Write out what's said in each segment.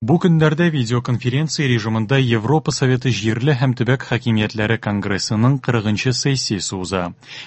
Бу көннәрдә видеоконференция режимында Европа Советы җирле һәм төбәк хакимиятләре конгрессының 40 нчы сессиясе уза.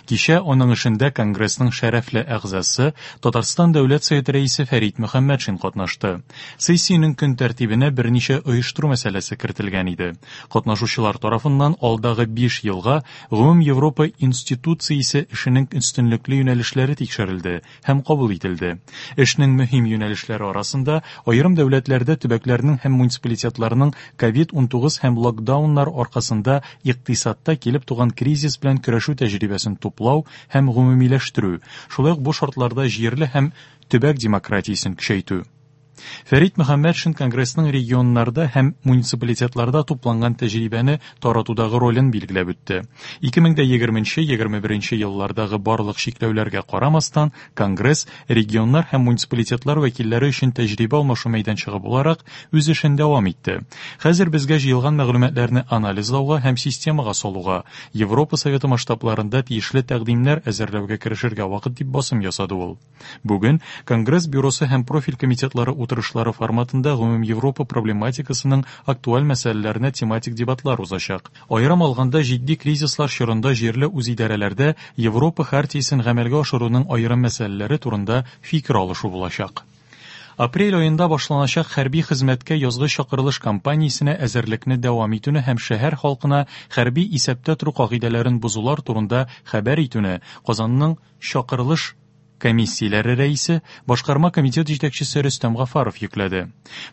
Кичә аның эшендә конгрессның шәрәфле әгъзасы, Татарстан Дәүләт Советы рәисе Фәрит Мөхәммәтшин катнашты. Сессиянең көн тәртибенә берничә оештыру мәсьәләсе кертелгән иде. Катнашучылар тарафыннан алдагы 5 елга гомумевропа институциясе эшенең өстенлекле юнәлешләре тикшерелде һәм кабул ителде. Эшнең мөһим юнәлешләре арасында аерым дәүләтләрдә төбәкләрнең һәм муниципалитетларның ковид-19 һәм локдауннар аркасында икътисадта килеп туган кризис белән көрәшү тәҗрибәсен туплау һәм гомумиләштерү, шулай ук бу шартларда җирле һәм төбәк демократиясен көчәйтү. Фәрит Мөхәммәтшин Конгрессның регионнарда һәм муниципалитетларда тупланган тәҗрибәне таратудагы ролен билгеләп үтте. 2020-21 еллардагы барлык чикләүләргә карамастан, Конгресс регионнар һәм муниципалитетлар вәкилләре өчен тәҗрибә алмашу мәйданчыгы буларак үз эшен дәвам итте. Хәзер безгә җыелган мәгълүматларны анализлауга һәм системага салуга, Европа Советы масштабларында тиешле тәкъдимнәр әзерләүгә керешергә вакыт, дип басым ясады ул. Бүген Конгресс бюросы һәм профиль комитетлары утырышлары форматында гомумевропа проблематикасының актуаль мәсьәләләренә тематик дебатлар узачак. Аерым алганда, җитди кризислар чорында җирле үзидарәләрдә Европа хартиясен гамәлгә ашыруның аерым мәсьәләләре турында фикер алышу булачак. Апрель аенда башланачак хәрби хезмәткә язгы чакырылыш кампаниясенә әзерлекне дәвам итүне һәм шәһәр халкына хәрби исәптә тору кагыйдәләрен бозулар турында хәбәр итүне Казанның чакырылыш комиссияләре рәисе, башкарма комитет җитәкчесе Рөстәм Гафаров йөкләде.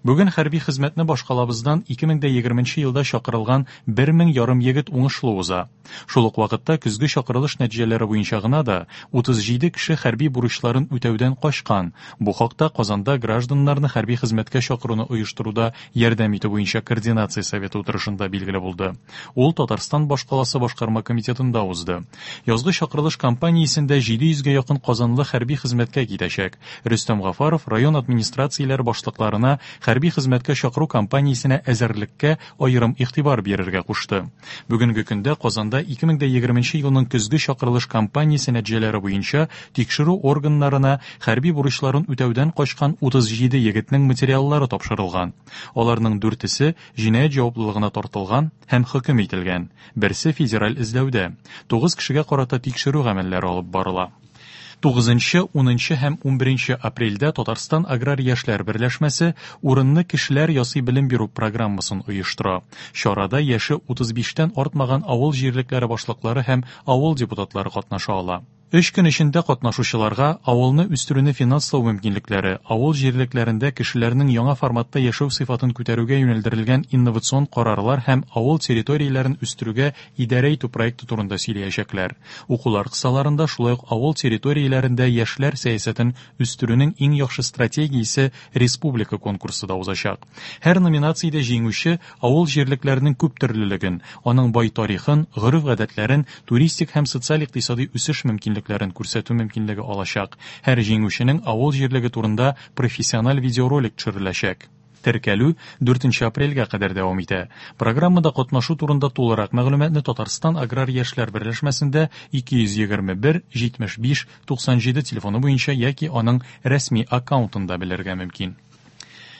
Бүген хәрби хезмәтне башкалабыздан 2020 елда чакырылган бер мең ярым егет уңышлы уза. Шул ук вакытта көзге чакырылыш нәтиҗәләре буенча гына да 37 кеше хәрби бурычларын үтәүдән качкан. Бу хакта Казанда гражданнарны хәрби хезмәткә чакыруны оештыруда ярдәм итү буенча координация советы утырышында билгеле булды. Ул Татарстан башкаласы башкарма комитетында узды. Язгы чакырылыш кампаниясендә 700 гә якын казанлы хәрби хезмәткә китәчәк. Рөстәм Гафаров район администрацияләре башлыкларына хәрби хезмәткә чакыру кампаниясенә әзерлеккә аерым игътибар бирергә кушты. Бүгенге көндә Казанда 2020 елның көзге чакырылыш кампаниясе нәтиҗәләре буенча тикшерү органнарына хәрби бурычларын үтәүдән качкан 37 егетнең материаллары тапшырылган. Аларның дүртесе җинаять җаваплылыгына тартылган һәм хөкем ителгән, берсе федераль эзләүдә. Тугыз кешегә карата тикшерү гамәлләре алып барыла. Тугызынчы, унынчы һәм унберенче апрельдә Татарстан аграр яшьләр берләшмәсе Урынны кешеләр ясый белем бирү программасын оештыра. Чарада яше 35 тән артмаган авыл җирлекләре башлыклары һәм авыл депутатлары катнаша ала. Өч көн эчендә катнашучыларга авылны үстерүне финанслау мөмкинлекләре, авыл җирлекләрендә кешеләрнең яңа форматта яшәү сыйфатын күтәрүгә юнәлдерелгән инновацион карарлар һәм авыл территорияләрен үстерүгә идарә итү проекты турында сөйләячәкләр. Укулар кысаларында шулай ук авыл территорияләрендә яшьләр сәясәтен үстерүнең иң яхшы стратегиясе республика конкурсы да узачак. Һәр номинациядә җиңүче авыл җирлекләренең күптөрлелеген, аның бай тарихын, гореф-гадәтләрен, туристик һәм социаль-икътисадый үсеш мөмкинлекләрен күрсәтү мөмкинлеге алачак. Һәр җиңүченең авыл җирлеге турында профессиональ видеоролик төшереләчәк. Теркәлү дүртенче апрельгә кадәр дәвам итә. Программада катнашу турында тулырак мәгълүматны Татарстан аграр яшьләр берләшмәсендә 221 75 97 телефоны буенча яки аның рәсми аккаунтында белергә мөмкин.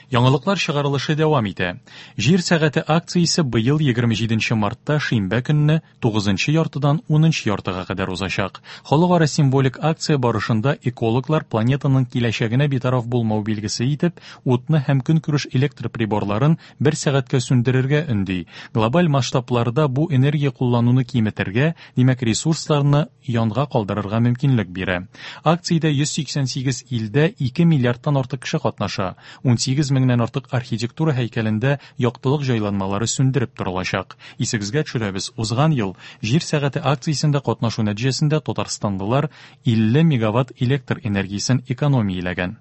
Яңалыклар чыгарылышы дәвам итә. Җир сәгате акциясе быел 27 мартта шимбә көнне 9 яртыдан 10 яртыга кадәр узачак. Халыкара символик акция барышында экологлар планетаның киләчәгенә битараф булмау билгесе итеп, утны һәм көнкүреш электр приборларын бер сәгатькә сүндерергә өнди. Глобаль масштабларда бу энергия куллануны киметергә, димәк, ресурсларны янга калдырырга мөмкинлек бирә. Акциядә 188 илдә 2 миллиардтан артык кеше катнаша. 18 меңнән артык архитектура һәйкәлендә яктылык җайланмалары сүндереп торылачак. Исегезгә төшерәбез, узган ел Җир сәгате акциясендә катнашу нәтиҗәсендә татарстанлылар 50 мегаватт электр энергиясен экономияләгән.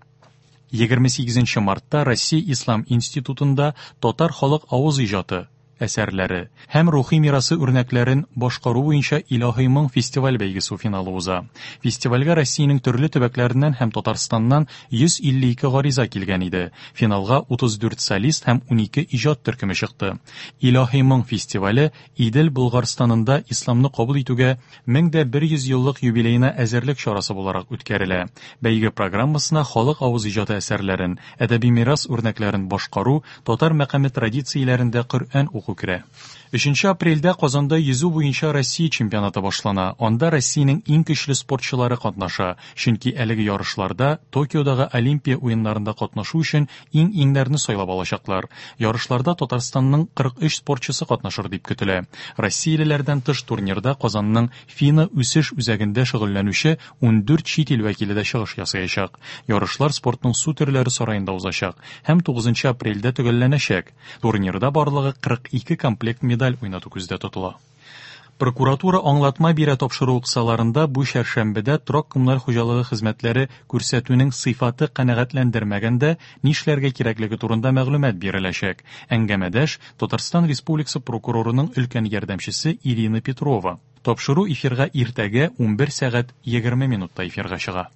28 мартта Россия Ислам институтында Татар халык авыз иҗаты. әсәрләре һәм рухи мирасы үрнәкләрен башкару буенча Илаһи моң фестиваль-бәйгесе финалы уза. Фестивальгә Россиянең төрле төбәкләреннән һәм Татарстаннан 152 гариза килгән иде. Финалга 34 солист һәм 12 иҗат төркеме чыкты. Илаһи моң фестивале Идел Болгарстанында исламны кабул итүгә 1100 еллык юбилеена әзерлек чарасы буларак үткәрелә. Бәйге программасына халык авыз иҗаты әсәрләрен, әдәби мирас үрнәкләрен башкару, татар мәкаме традицияләрендә Коръән уку керә. 3 апрельдә Казанда йөзү буенча Россия чемпионаты башлана. Анда Россиянең иң көчле спортчылары катнаша, чөнки әлеге ярышларда Токиодагы Олимпия уеннарында катнашу өчен иң-иңнәрне сайлап алачаклар. Ярышларда Татарстанның 43 спортчысы катнашыр дип көтелә. Россиялеләрдән тыш турнирда Казанның ФИНА үсеш үзәгендә шөгыльләнүче 14 чит ил вәкиле дә чыгыш ясаячак. Ярышлар спортның су төрләре сараенда узачак һәм 9 апрельдә төгәлләнәчәк. Турнирда барлыгы 42 комплект медаль уйнату күздә тотыла. Прокуратура аңлатма бирә тапшыруы кысаларында бу чәршәмбедә торак-коммуналь хуҗалыгы хезмәтләре күрсәтүнең сыйфаты канәгатьләндермәгәндә нишләргә кирәклеге турында мәгълүмат биреләчәк. Әңгәмәдәш, Татарстан Республикасы прокурорының өлкән ярдәмчесе Ирина Петрова. Тапшыру эфирга иртәгә 11 сәгать 20 минутта эфирга чыга.